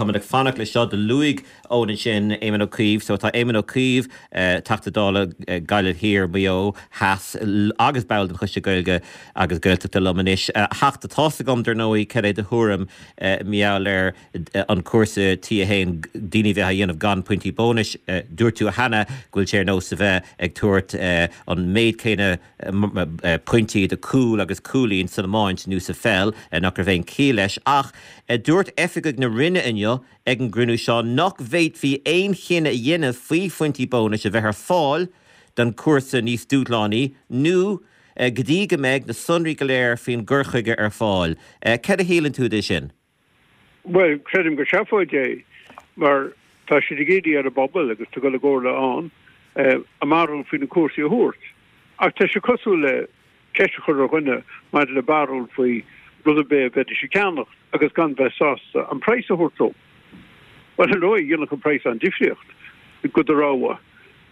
Táimid ag fanacht leis seo. Do luaigh Eoin ansin Éamon Ó Cuív. So tá Éamon Ó Cuív, Teachta Dála Gaillimh Thiar, Maigh Eo Theas agus ball den Choiste Gaeilge agus Gaeltachta liom anois. A Theachta, tá's agam dar ndóigh cad é do thuairim mar gheall ar an cúrsa T1, daoine a bheith á dhéanamh gan pointí bónais. Dúirt tú cheana go bhfuil sé ar nós a bheith ag tabhairt an méid céanna pointí do cúl agus cúilín san iomáint nó sa pheil, nach raibh aon chiall leis. Ach dúirt oifigigh na Roinne inniu ag an gcruinniú seo nach bhféadfaí aon chinneadh a dhéanamh faoi phointí bónais a bheith ar fáil don chúrsa níos dúshlánaí nó go dtí go mbeidh na sonraí go léir faoin gcur chuige ar fáil. Cad a shíleann tú de sin? Bhuel, creidim gur seafóid é, mar tá siad ag iarraidh ar an bpobal agus tá dul i gcomhairle ann a mbarúil faoi na cúrsaí a thabhairt. Ach tá sé cosúil le ceist a chur ar dhuine maidir le barúil faoi rud ar bith a bheidís ag ceannacht agus gan bheith sásta an praghas a thabhairt dó. Bhuel, ar ndóigh, dhéanfadh an praghas an-difríocht go do rogha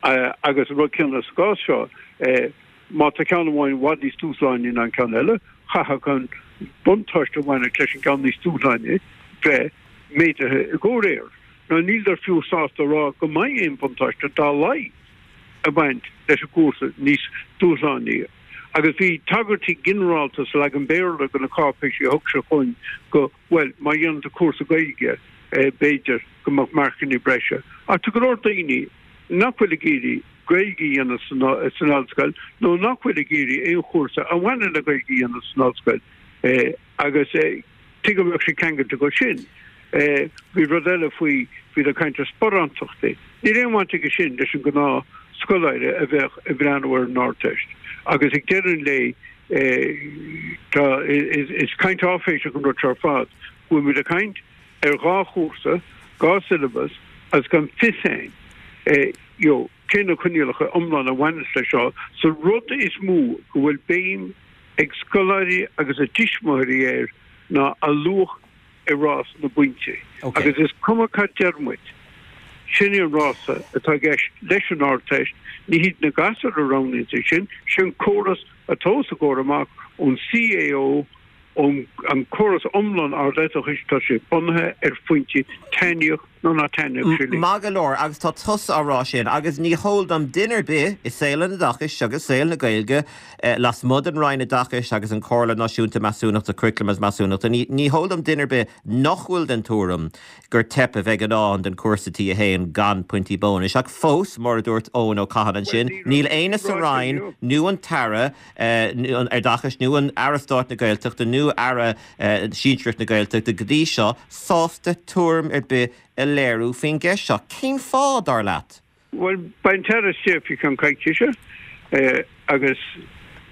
agus an rud céanna sa gcás seo. Má tá ceann amháin i bhfad níos dúshlánaí ná an ceann eile, chaithfeadh an buntáiste a bhaineadh leis an gceann níos dúshlánaí bheith méadaithe i gcomhréir. Nó níleadar fiú sásta a rá go mbeidh aon bhuntáiste dá laghad ag baint leis an gcúrsa níos dúshlánaí. Agus bhí tagairtí ginearálta sa leagan Béarla de na cáipéisí a thug siad chugainn go, bhuel, má dhéanann tú cúrsa Gaeilge, b'fhéidir go mbeadh marcanna breise. Ach tá go leor daoine nach bhfuil ag iarraidh Gaeilge a dhéanamh san ollscoil nó nach bhfuil ag iarraidh aon chúrsa a bhaineann le Gaeilge a dhéanamh san ollscoil agus tuige go mbeadh sé ceangailte go sin. Bhí rud eile faoi, bhíodar ag caint ar sparántachtaí. Níl aon bhaint aige sin leis an gnáth scoláire a bheadh ag breathnú ar an Ardteist agus ag deireadh an lae tá, is caint áiféiseach an rud seo ar fad, go bhfuil muid ag caint ar dhá chúrsa, dhá syllabus agus gan fios againn you know cé na coinníollacha iomlána a bhaineas leis seo. So rud is mó go bhfuil béim ag scoláirí agus a dtuismitheoirí air ná a luach i rás na bpointí. Agus is cuma cad deir muid, sin é an rása atá i gceist leis an Ardteist, ní hiad na gasúir a roghnaíonns é sin, sin córas atá os a gcomhair amach ón CAO, ón an córas iomlán ardoideachais, tá sé bunaithe ar phointí, taitníodh nó ná taitníodh sé linn. Maith go leor, agus tá tusa á rá sin, agus ní heol dom duine ar bith i saol an oideachais agus saol na Gaeilge, lasmuigh den Roinn Oideachais agus an Chomhairle Náisiúnta Measúnachta, Curaclaim agus Measúnachta, ní heol dom duine ar bith nach bhfuil den tuairim gur teip a bheidh i ndán don chúrsa T1 gan pointí bónais. Ach fós, mar a dúirt Eoin Ó Catháin ansin, níl éinne sa Roinn nó an tAire Oideachais nó an Aire Stáit na Gaeltachta nó Aire Sinsearach na Gaeltachta go dtí seo sásta tuairim ar bith a léiriú faoin gceist seo. Cén fáth, dar leat? Bhuel, beidh an tAire istigh faoi cheann coicíse agus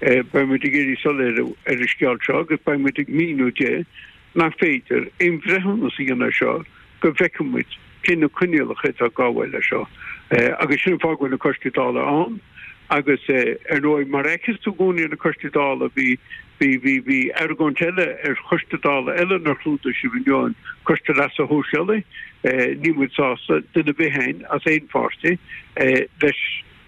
beidh muid ag iarraidh soiléiriú ar an scéal seo agus beidh muid ag míniú di nach féidir aon bhreithiúnas a dhéanamh air seo go bhfeicfidh muid cé na coinníollacha atá ag gabháil leis seo. Agus sin an fáth go bhfuil na Coistí Dála ann agus ar ndóigh mar a fheiceas tú i gcónaí ar na Coistí Dála bhí bhí bhí bhí argóint eile ar Choiste Dála eile nár chlúdaigh sibh inniu an Coiste Leasa Shóisialaigh. Níl muid sásta, duine ar bith againn as aon pháirtí, leis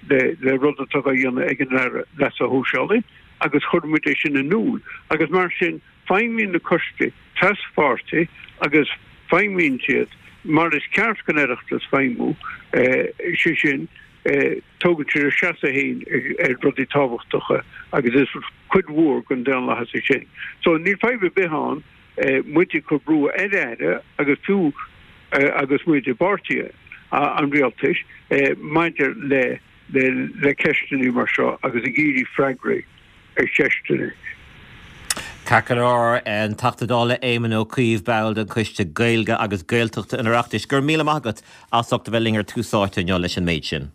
le le rud atá á dhéanamh ag an Aire Leasa Shóisialaigh agus chuir muid é sin in iúl agus mar sin Feidhmíonn na coistí traspháirtí agus feidhmíonn siad mar is ceart don Oireachtas feidhmiú, sé sin, tógann siad a seasamh féin ar rudaí tábhachtacha agus is cuid mhór den daonlathas é sin. So níl fadhb ar bith ann muid ag cur brú ar Aire agus fiú agus muid i bpáirtí an rialtais maidir le le ceisteanna mar seo agus ag iarraidh freagraí ar cheisteanna. Ceart go leor, an Teachta Dála Éamon Ó Cuív, ball den Choiste Gaeilge agus Gaeltachta an Oireachtais, go raibh míle maith agat as ucht a bheith linn ar Tús Áite inniu leis an méid sin.